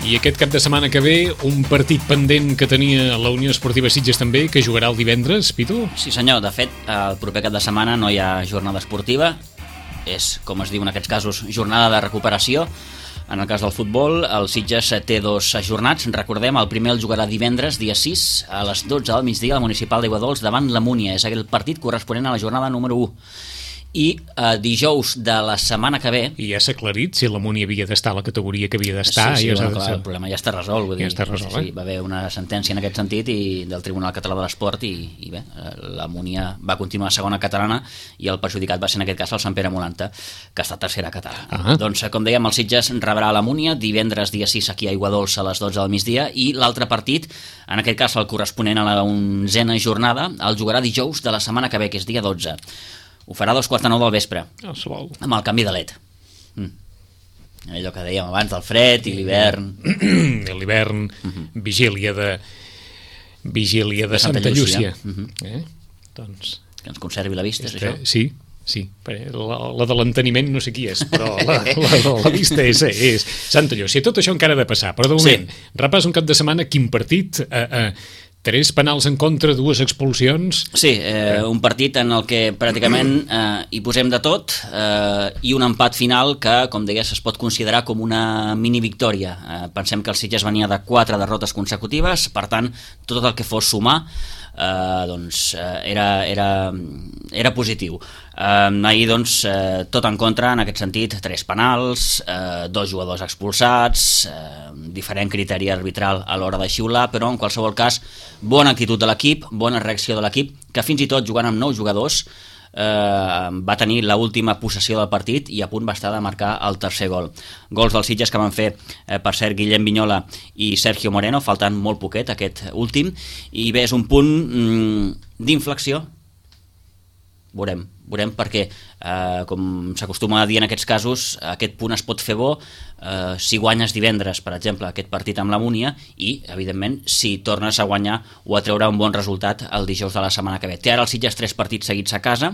I aquest cap de setmana que ve, un partit pendent que tenia la Unió Esportiva Sitges també, que jugarà el divendres, Pitu? Sí senyor, de fet, el proper cap de setmana no hi ha jornada esportiva, és, com es diu en aquests casos, jornada de recuperació. En el cas del futbol, el Sitges té 2 ajornats. Recordem, el primer el jugarà divendres, dia 6, a les 12 del migdia, al Municipal d'Aiguadols davant la Múnia. És aquell partit corresponent a la jornada número 1. I dijous de la setmana que ve... I ja s'ha aclarit si la Múnia havia d'estar a la categoria que havia d'estar. Sí, bueno, clar, el problema ja està resolt. Vull dir, està resolt, sí, va haver una sentència en aquest sentit del Tribunal Català de l'Esport i bé, la Múnia va continuar segona catalana i el perjudicat va ser en aquest cas el Sant Pere Molanta, que està tercera catalana. Doncs, com dèiem, el Sitges rebrà la Múnia divendres dia 6 aquí a Aiguadols a les 12 del migdia i l'altre partit, en aquest cas el corresponent a la 11a jornada, el jugarà dijous de la setmana que ve, que és dia 12. Ho farà a 2:45 del vespre, amb el canvi de LED. Allò que dèiem abans del fred i l'hivern. L'hivern, vigília de Santa Llúcia. Doncs... Que ens conservi la vista, és això? Sí. La de l'enteniment no sé qui és, però la vista és Santa Llúcia. Tot això encara ha de passar, però de moment, repàs un cap de setmana, quin partit... 3 penals en contra, 2 expulsions... Sí, un partit en el que pràcticament hi posem de tot i un empat final que, com deies, es pot considerar com una mini victòria. Pensem que el Sitges venia de 4 derrotes consecutives, per tant, tot el que fos sumar doncs era positiu. Ahir doncs tot en contra en aquest sentit, 3 penals, 2 jugadors expulsats, diferent criteri arbitral a l'hora de xiular, però en qualsevol cas bona actitud de l'equip, bona reacció de l'equip, que fins i tot jugant amb 9 jugadors va tenir l'última possessió del partit i a punt va estar de marcar el tercer gol. Gols dels Sitges que van fer, per cert, Guillem Vignola i Sergio Moreno, faltant molt poquet aquest últim, i bé, és un punt d'inflexió. Veurem perquè, com s'acostuma a dir en aquests casos, aquest punt es pot fer bo si guanyes divendres, per exemple, aquest partit amb la Múnia i, evidentment, si tornes a guanyar o a treure un bon resultat el dijous de la setmana que ve. Té ara el Sitges 3 partits seguits a casa,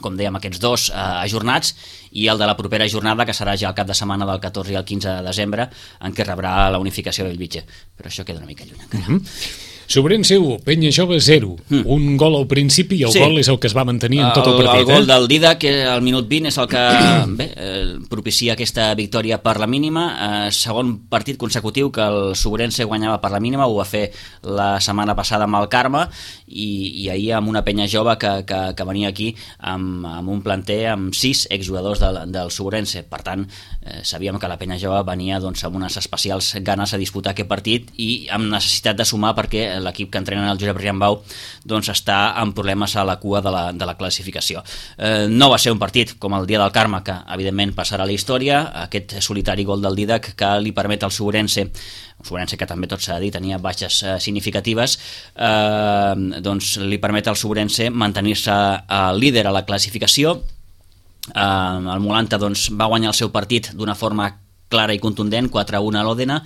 com dèiem, aquests 2 ajornats, i el de la propera jornada, que serà ja el cap de setmana del 14 i el 15 de desembre, en què rebrà la unificació de Bellvitge. Però això queda una mica lluny encara. Sobrense 1, Penya Jove 0. Un gol al principi i el gol és el que es va mantenir en tot el partit. El gol del Dida, que al minut 20 és el que propicia aquesta victòria per la mínima. Segon partit consecutiu que el Sobrense guanyava per la mínima, ho va fer la setmana passada amb el Carme i ahir amb una Penya Jove que venia aquí amb un planter amb 6 exjugadors del Sobrense. Per tant, sabíem que la Penya Jove venia amb unes especials ganes a disputar aquest partit i amb necessitat de sumar perquè l'equip que entrena el Josep Riambau està amb problemes a la cua de la classificació. No va ser un partit com el dia del Carme, que evidentment passarà a la història, aquest solitari gol del Didac que li permet al Sobrense, que també tot s'ha de dir, tenia baixes significatives, doncs li permet al Sobrense mantenir-se líder a la classificació. El Molanta va guanyar el seu partit d'una forma clara i contundent, 4-1 a l'Òdena.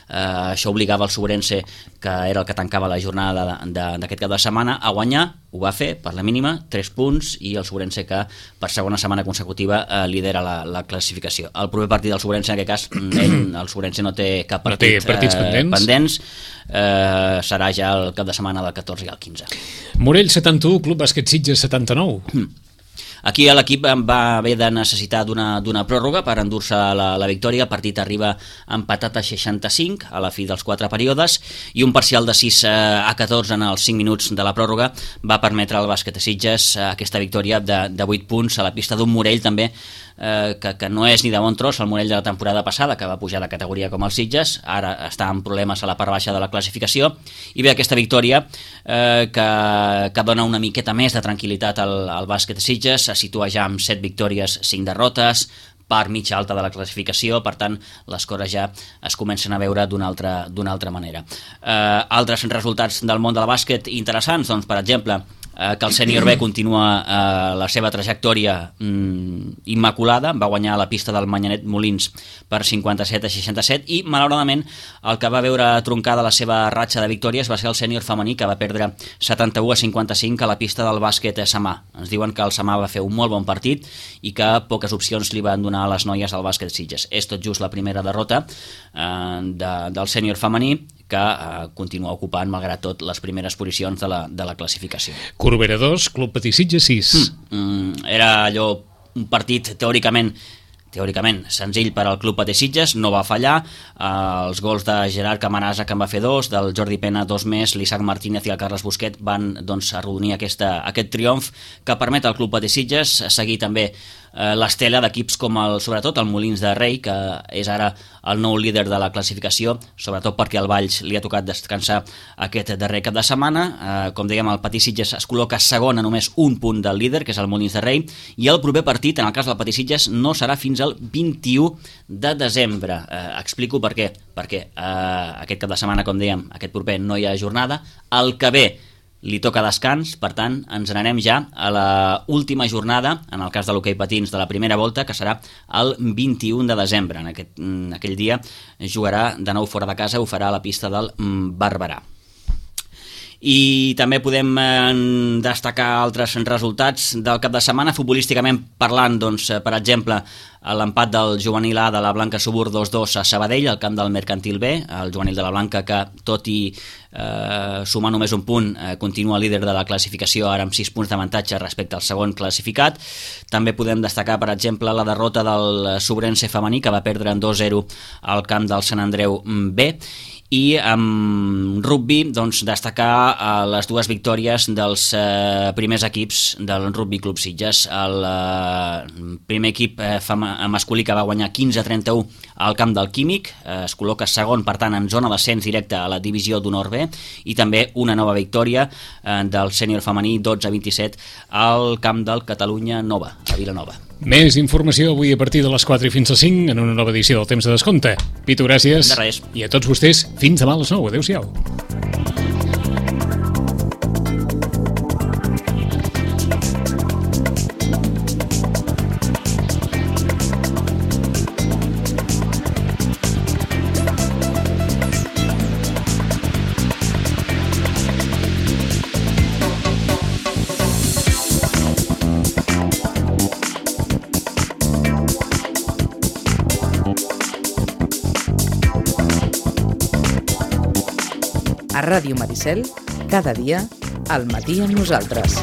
Això obligava el Sobrense, que era el que tancava la jornada d'aquest cap de setmana, a guanyar. Ho va fer per la mínima, 3 punts, i el Sobrense que per segona setmana consecutiva lidera la classificació. El proper partit del Sobrense, en aquest cas, el Sobrense no té cap partit pendents. Serà ja el cap de setmana del 14 i el 15. Morell 71, Club Bàsquet Sitges 79. Aquí l'equip va haver de necessitar d'una pròrroga per endur-se la victòria. El partit arriba empatat a 65 a la fi dels 4 períodes i un parcial de 6-14 en els 5 minuts de la pròrroga va permetre al bàsquet de Sitges aquesta victòria de 8 punts a la pista d'un Morell també que no és ni de bon tros el Morell de la temporada passada, que va pujar de categoria com el Sitges, ara està amb problemes a la part baixa de la classificació, i bé, aquesta victòria que dona una miqueta més de tranquil·litat al bàsquet de Sitges, se situa ja amb 7 victòries, 5 derrotes, part mitja alta de la classificació, per tant les coses ja es comencen a veure d'una altra manera. Altres resultats del món del bàsquet interessants, doncs per exemple que el sènior B continua la seva trajectòria immaculada, va guanyar la pista del Manyanet Molins per 57-67 i malauradament el que va veure troncada la seva ratxa de victòries va ser el sènior femení, que va perdre 71-55 a la pista del bàsquet Samà. Ens diuen que el Samà va fer un molt bon partit i que poques opcions li van donar a les noies al bàsquet Sitges. És tot just la primera derrota del sènior femení, que continua ocupant, malgrat tot, les primeres posicions de la classificació. Corbera 2, Club Patí Sitges 6. Era allò un partit teòricament senzill per al Club Patí Sitges, no va fallar. Els gols de Gerard Camarasa, que en va fer 2, del Jordi Pena 2 més, l'Isaac Martínez i el Carles Busquet van arrodonir aquest triomf que permet al Club Patí Sitges seguir també l'estela d'equips com sobretot el Molins de Rei, que és ara el nou líder de la classificació, sobretot perquè al Valls li ha tocat descansar aquest darrer cap de setmana. Com dèiem, el Patí Sitges es col·loca segon a només un punt del líder, que és el Molins de Rei, i el proper partit, en el cas del Patí Sitges, no serà fins al 21 de desembre. Explico per què. Perquè aquest cap de setmana, com dèiem, aquest proper no hi ha jornada. El que ve li toca descans, per tant, ens n'anem ja a la última jornada, en el cas de l'hoquei patins de la primera volta, que serà el 21 de desembre. En aquell dia jugarà de nou fora de casa, ho farà a la pista del Barberà. I també podem destacar altres resultats del cap de setmana, futbolísticament parlant, doncs, per exemple, l'empat del juvenil A de la Blanca Subur 2-2 a Sabadell, al camp del Mercantil B, el juvenil de la Blanca, que tot i sumar només un punt, continua líder de la classificació, ara amb 6 punts d'avantatge respecte al segon classificat. També podem destacar, per exemple, la derrota del Sobrense femení, que va perdre en 2-0 al camp del Sant Andreu B. I amb rugby, doncs, destacar les dues victòries dels primers equips del Rugby Club Sitges. El primer equip masculí, que va guanyar 15-31 al camp del Químic, es col·loca segon, per tant, en zona d'ascens directe a la divisió d'honor B, i també una nova victòria del sènior femení 12-27 al camp del Catalunya Nova, a Vilanova. Més informació avui a partir de les 4 i fins a 5 en una nova edició del Temps de Descompte. Pitu, gràcies. De res. I a tots vostès, fins demà a les 9. Adéu-siau. A Ràdio Maricel, cada dia, al matí amb nosaltres.